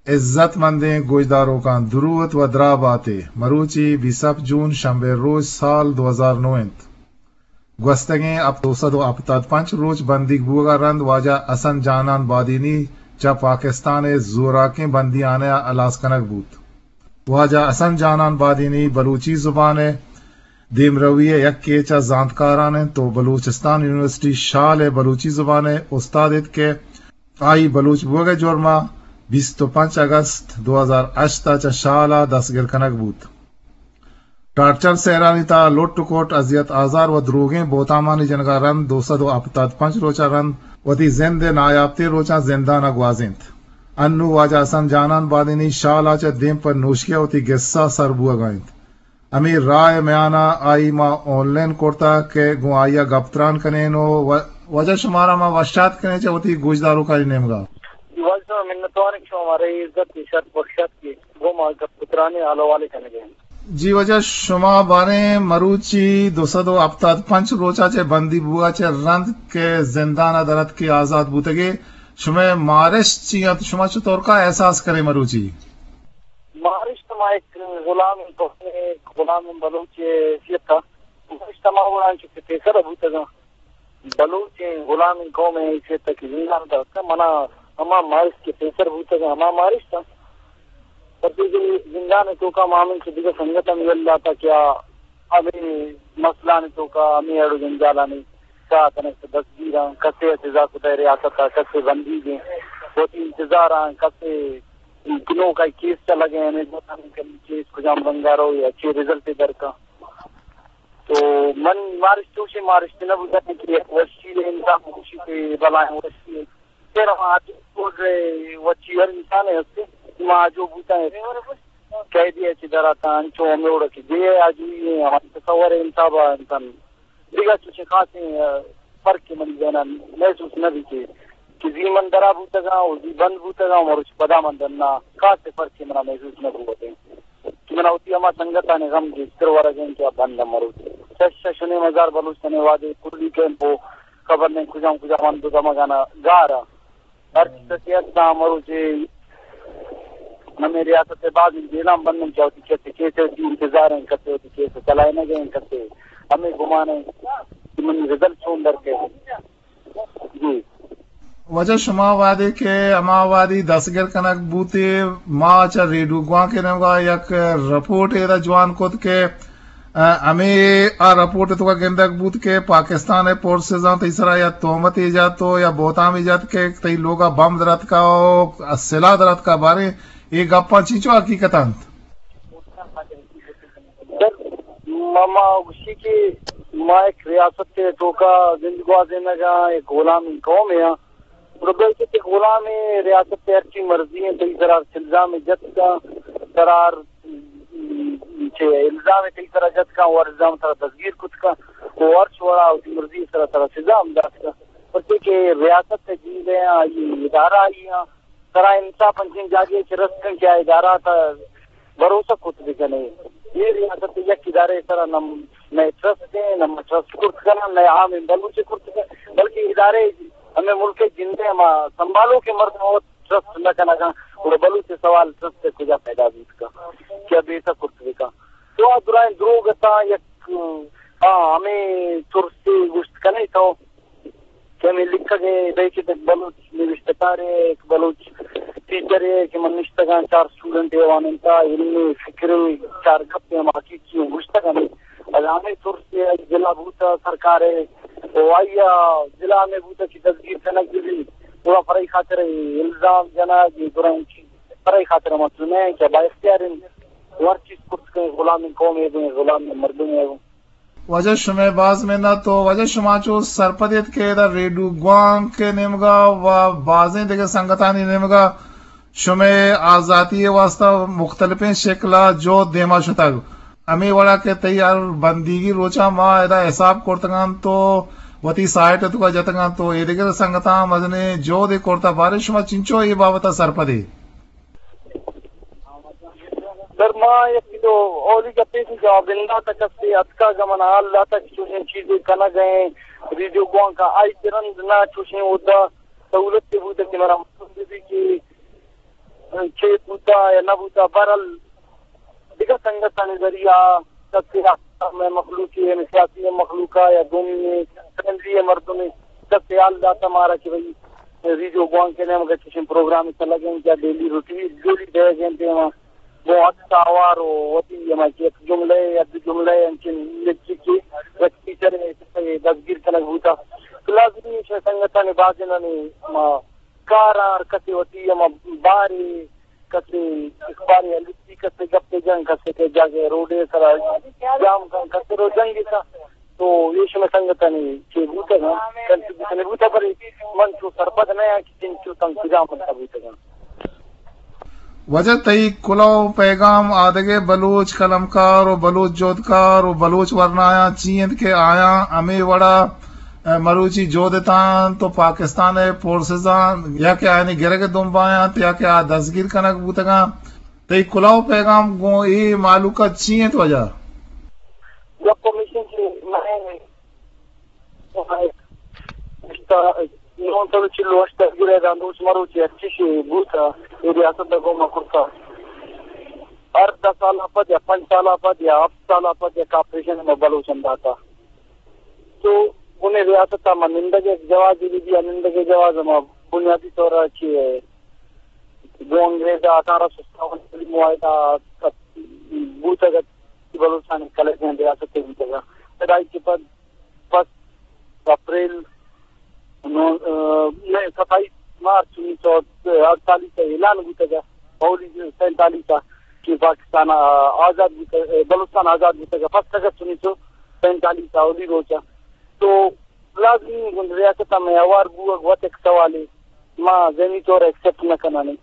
عزت مندیں گوشداروکاں دروت و دراہ باتے۔ مروچی بیست جون شنبے روچ سال دو ہزار نو انت۔ گوستگیں ہپ-، دو سد و ہپتاد پنچ روچ بندیگ بوگ ءَ رند واجہ حسن جانان بادینی چہ پاکستان ءِ زوراکیں بندیانے ءَ ہلاس کنگ بوت۔ واجہ حسن جانان بادینی بلوچی زبان ءِ دیمروی ءِ یکے چہ زانتکاران انت و بلوچستان یونیورسٹی شال ءِ بلوچی زبان ءِ استاد ات کہ آئی بلوچ بوگ ءِ جرم ءَ بیست و پنچ اگست دو ہزار ہشت ءَ چہ شال ءَ دستگر کنگ بوت۔ ٹارچر سیرانی تہا لٹ و کٹ، اذیت آزار و دروگیں بہتامانی جنگ ءَ رند دو سد و ہپتاد پنچ روچ ءَ رند وتی زند ءِ نایاپتیں روچاں زندان ءَ گوازینت۔ انوں واجہ حسن جانان بادینی شال ءَ چہ دیم پہ نوشکی ءَ وتی گسا سر بوگ ءَ انت۔ ہمے راہ ءِ میان ءَ آئی ما آن لائن کرتگ کہ گوں آئی ءَ گپ تران کنیں و و-، واجہ شمارا ما وش آتک کنیں چہ وتی گوشداروکانی نیمگ ءَ۔ واجہ منتوار شما مارا عزت ءُ شرپ بخشات کہ گوں ما گپ تران ءُ حال حوالے کنگ ءَ۔ جی واجہ، شما باریں مروچی دو سد و ہپتاد پنچ روچ ءَ چہ بندی بوگ ءَ چہ رند کہ زندان ءَ در اتک کہ آزات بوتگ ئے، شمئے مارشت چی انت؟ شما چطور کا احساس کرے مروچی؟ مارشت ما یک غلام قومے، یک غلام بلوچے حیثیت ءَ مارشت ما وڑاں چہ پیسر بوتگاں۔ بلوچیں غلامیں قومے حیثیت ءَ کہ زندان ءَ در اتکاں، منا ہما مارشت کہ پیسر بوتگاں، ہما مارشت انت۔ پرچے کہ زندان ءِ توکا ما ہمینچو دگہ سنگت ہم یل داتا کہ آ ہمے مسئلہانی توکا، ہمے اڑ و جنجالانی ساہ کنگ، دستگیراں، کسے ءَ سزا کتہ ریاست ءَ، کسے بندیگیں، وتی انتظاراں، کسے نوکا کیس چلگ ءَ، ہمے گوتانی کیس کجام رنگا رو یا چے رزلٹے درکا۔ تو من مارشت چوشیں مارشت نہ بوتگ کہ یک وشی انسان گوشی کہ بلائیں وشی۔ پھر ہم آتی کوڈ وچی ہر انسان ہستے، ما جو بوتا ہے قیدی ہے چی دراتا انچو ہمیں اوڑا کہ دے آجوئی ہے، ہماری تصور ہے انتابا انسان دگہ چوشیں خاصیں، آ، فرق کہ منی ذہن ءَ محسوس نہ بیت کہ، کہ زی من درا بوتگاں و زی بند بوتگاں، مروچی پدا من درنا، خاصیں فرق کہ منا محسوس نہ بوتیں کہ منا وتی ہما سنگتانی غم گیشتر ورگ انت کہ آ بند ءَ مروت۔ شش، شش و نیم ہزار بلوچ تنے وہدے کلی کیمپ و خبر نہیں کجام کجام ہند و دمگانا گار ءَ۔ ہر چیز کہ ہستاں مروچی ہمے ریاست ءِ باز جیلاں بندن کہ وتی کسے کیس ءِ وتی انتظار ہیں، کسے وتی کیس ءِ چلائینگ ہیں، کسے ہمے گمان ہیں کہ منی رزلٹ چون در کئے۔ جی۔ واجہ شما وہدے کہ ہما وہدی دستگر کنگ بوتے، ما چہ ریڈیو گوانک ءِ نیمگا یک رپورٹ ادا جوان کت کہ ء، ہمے آ رپورٹ ءِ توکا گندگ بوت کہ پاکستان ءِ فورسزاں تئی سرا یا تہمتے جت و یا بہتامے جت کہ تئی لوگا بمب دراتکا و سلاہ دراتکا۔ باریں اے گپاں چینچو حقیقت انت؟ سر، ما، ما گوشی کہ ما یک ریاست ءِ توکا زند گوازینگا، یک غلامیں قومے آں۔ گڑا بلکہ تئی غلامیں ریاست ءِ ہرچی مرضی انت، تئی سرا ہرچ الزامے جت کن، سرا ہر، چہ الزامے تئی سرا جت کن، و ہر الزام سرا دزگیر کت کن، و ہرچ وڑا وتی مرضی سرا سرا سزا ہم دات کن۔ پرچے کہ ریاست ءِ جیل ءِ آں، آئی ادارہ آئی آں، سرا انصاف انچیں جاگہے چہ رست کن کہ آ ادارہ تا بھروسہ کت بکنے۔ اے ریاست ءِ یک ادارہ ءِ سرا نہ مئے ٹرسٹ ایں، نہ ما ٹرسٹ کرت کناں، نہ عام بلوچ کرت کناں، بلکہ ادارہ ہمے ملک ءِ جند ءِ ہما سنبھالوکیں مردم وت ٹرسٹ نہ کنگ ءَ، گڑا بلوچ ءِ سوال ٹرسٹ ءِ کجا پیدا بیت کن کہ آ بیسہ کرت بکن؟ تو آ درائیں دروگ اتاں یک، آ، ہمے ترسے گوشت کنے تو کہ ہمے لکھگ ءِ بئے کہ یک بلوچ نبشتہ کارے، یک بلوچ ٹیچرے کہ من نشتگاں، چار اسٹوڈنٹے وانینتا، علمی فکرے، چار گپے ہم حقیقی ایں گوشتگ ہمے۔ اگاں ہمے ترسے آئی دلا بوتا سرکارے، و آئی ءَ دلا ہمے بوتا کہ دزگیر کنگ بہ بیت، گڑا پرئی خاطر الزام جنگ، گڑا انچی پرئی خاطر مسئلہ نہ ایں کہ با اختیار ایں، ہر چیز کرت کن، غلامیں قومے بیں، غلامیں مردمے بیں۔ واجہ شمئے باز منت و واجہ شما چو سرپد ات کہ ادا ریڈیو گوانک ءِ نیمگا و بازیں دگہ سنگتانی نیمگا شمئے آزاتی ءِ واستہ مختلفیں شکل ءَ جہد دیما شتگ۔ ہمے وڑا کہ تئی ہر بندیگی روچاں ما ادا حساب کرتگ انت و وتی سائٹ ءِ توکا جتگ انت و ایدگر سنگتاں مزنیں جہدے کرتہ۔ باریں شما چنچو اے بابت ءَ سرپد ئے؟ سر، ما یکے دو اولی گپے کہ جواب داتا، کسے اتکا گمن حال داتا کہ چوشیں چیزے کنگ ءَ ایں، ریڈیو گوانک ءَ آئی کہ رند نہ چوشیں اودا سہولت بوتہ کہ منا معلوم بہ بی کہ چے بوتا یا نہ بوتا، بہرحال دگہ سنگتانی ذریعہ کسے آ مئے مخلوقے، یعنی سیاسی مخلوقا یا دومی فرینڈلی مردمے کسے حال داتا مارا کہ بھئی ریڈیو گوانک ءِ نیمگا چشیں پروگرامے لگیں یا ڈیلی روٹین، ڈیلی بیگ ءِ دیما گوں عکس آوار و وتی ہما کہ یک جملہ یا دو جملہ انچیں لکھی کہ یک ٹیچر ءِ دزگیر کنگ بوتا۔ تو لازمی شے سنگتانی بازینانی ما کار ءَ ہر کسے وتی ہما بارے، کسے اخبارے ءَ لکھی، کسے گپے جن، کسے کہ جاگہے روڈے سرا جام کن، کسے رو جنگے سا۔ تو اے شمئے سنگتانی چے بوتگاں، کنٹریبیوشنے بوتگ، بلے من چو سرپد نہ آں کہ چنچو تنقیداں من بوتگاں۔ واجہ تئی کلوہ و پیغام آدگہ بلوچ قلمکار و بلوچ جہدکار و بلوچ ورنایاں چی انت کہ آیاں ہمے وڑا مروچی جہد اتاں تو پاکستان ءِ فورسزاں یا کہ آیانی گرگ ءِ دمبا انت یا کہ آ دزگیر کنگ بوتگاں۔ تئی کلوہ و پیغام گوں اے مہلوک ءَ چی انت واجہ؟ گپ ہمیش انت کہ من نو سد و چل و ہشت ءَ گرے داں روچ مروچی ہرچی شے بوتا، اے ریاست ءَ گوما کرتا۔ ہر دہ سال ءَ پد یا پنچ سال ءَ پد یا ہفت سال ءَ پد یک آپریشن ما بلوچاں داتا۔ تو انہیں ریاست ءَ ما نندگ ءِ جواز دے دیا، نندگ ءِ جواز ما بنیادی طور ءَ چی گوں انگریز ءَ اٹھارہ سو ستاون ءَ معاہدہ بوتگ ات کہ بلوچستان کلچ ءِ ریاست بوتگ ات۔ پدا آئی کہ پد پس اپریل نو، آ، نہ، ستائیس مارچ انیس سو اڑتالیس ءَ اعلان بوتگ ات، اولی سینتالیس ءَ کہ پاکستان آ-، آزاد بوتگ، بلوچستان آزاد بوتگ ات، پس اگست انیس سو سینتالیس ءَ اولی روچ ءَ۔ تو لازمی انت ریاست ءَ مئے ہوار بوگ وت یک سوالے، ما ذہنی طور ءَ ایکسپٹ نہ کنانے۔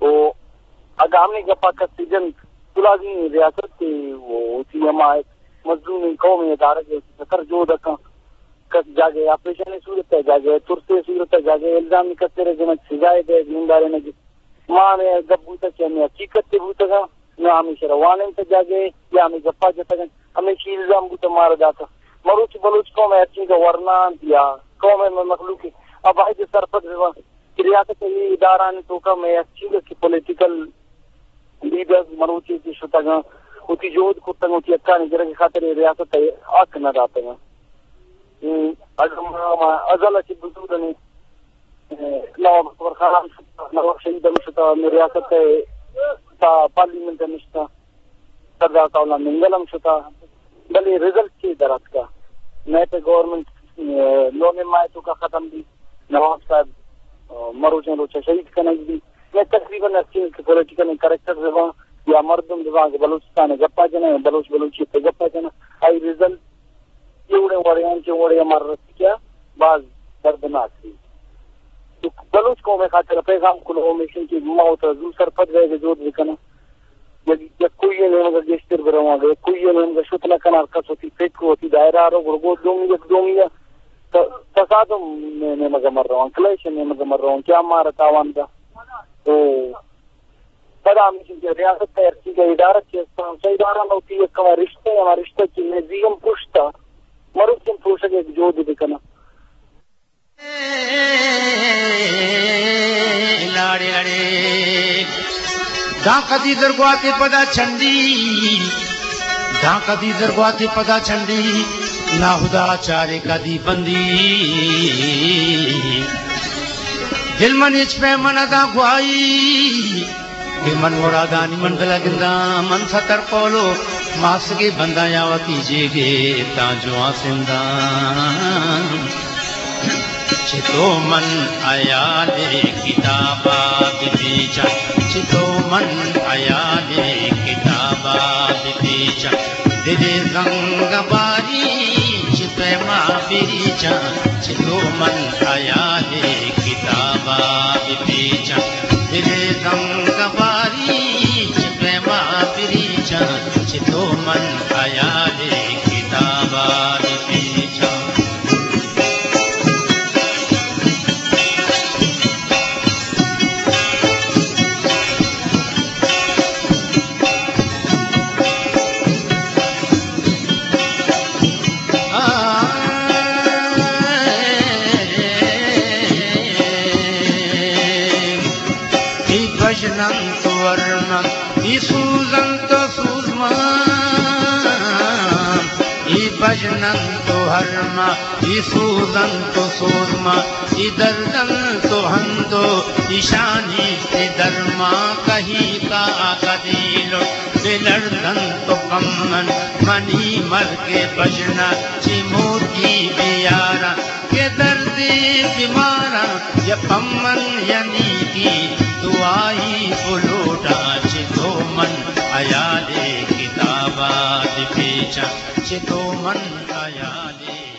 و اگاں ہمے گپا کسے جنت تو لازمی ریاست ءَ و وتی ہما مظلومیں قوم ءِ دارگ ءَ سر جہد ءَ کن۔ کس جاگہے آپریشن ءِ صورت ءَ، جاگہے ترس ءِ صورت ءَ، جاگہے الزام کسے را جنت، سزا ءِ دئیگ، نندارینگ۔ ما ہمے گپ بوتگ کہ ہمے حقیقت ءِ بوتگاں، نہ ہمیشہ را وانینتگ جاگہے یا ہمے گپا جتگ انت، ہمیشی الزام بوتگ مارا داتگ۔ مروچی بلوچ قوم ءِ ہرچنکہ ورنا انت یا قوم ءِ مخلوق ءَ باید سرپد بہ بنت کہ ریاست ءِ اے ادارہانی توکا مئے ہرچنکہ کہ پولیٹیکل لیڈرز مروچی کہ شتگاں، وتی جہد کرتگ، وتی حقانی گرگ ءِ خاطر ءَ ریاست ءَ حق نہ داتگاں۔ اے اگاں ما، ما ازل ءَ چہ بزور انیں، نواب اکبر خان ہم شتا، نواب شہید ہم شتا، مئے ریاست ءِ تا پارلیمنٹ ءَ نشتا، سردار ثناء اللہ مینگل ہم شتا، بلے رزلٹ چے در اتکا؟ نیپ ءِ گورنمنٹ، اے، نومبر ماہ ءِ توکا ختم بی، نواب صاحب، اے، مروچیں روچ ءَ شہید کنگ بی۔ مئے تقریباً ہرچی کہ پولیٹیکل کریکٹر بہ باں یا مردم بہ باں کہ بلوچستان ءِ گپا جناں یا بلوچ بلوچیت ءِ گپا جناں، آئی رزلٹ اے وڑیں وڑیں انچیں وڑے ءَ مارا رسیت کہ باز دردناک بیت۔ تو بلوچ قوم ءِ خاطر ءَ پیغام کلوہ ہمیش انت کہ ما وت ءَ زو سرپد بئیگ ءِ جہد بہ کناں۔ یک، یکوئی ءِ نیمگ ءَ گیشتر بہ رواں، اگاں یکوئی ءِ نیمگ ءَ شت نہ کناں، ہر کس وتی فکر، وتی دائرہ ءَ رو، گڑا گوں دومی، یک دومی ءَ ت-، تصادم ءِ نیمگ ءَ مہ رواں، کلیش ءِ نیمگ ءَ مہ رواں کہ آ مارا تاوان دنت۔ تو پدا ہمیش انت کہ ریاست ءِ ہرچی کہ ادارہ چہ استاں، چہ ادارہ ما وتی یک ہما رشتہ، ہما رشتہ کہ مئے زی ہم پروشتا، مروچی ہم پروشگ ءِ یک جہدے بہ کناں۔ لاڑے اڑے، داں کدی درگواتے پدا چنڈی، داں کدی درگواتے پدا چنڈی، ناہدا چارے کدی بندی۔ دل من ہچ پیمن داں گواہی، کہ من مرادانی منزل ءَ گنداں، من ستر پولو ماسگے بنداں یا وتی جیگے تاں جوان سنداں۔ چتو من حیال کتابا بپیچاں، چتو من حیال کتابا بپیچاں، دلے زنگ باری چہ پیما بریچاں، چتو من حیال کتابا بپیچاں۔ دلے زنگ باری چہ پیما بریچاں، چتو من حیال کتابا بپیچاں۔ بژن انت و ارمن، اے سوز انت و سوزمان، اے بژن انت و ارمن، اے سوز انت و سوزمان، اے درد انت و ہند و ایشانی درمان، کہی کا کدی لٹ بہ لرزنت و پمن، منی مرگ بژن ءَ چہ موتی بیارن، کہ دردے بیماراں یا پمن یا نیکی دعائی بلوٹاں، چہ تو من ہیالے کتابا بپیچاں، چہ تو من ہیالے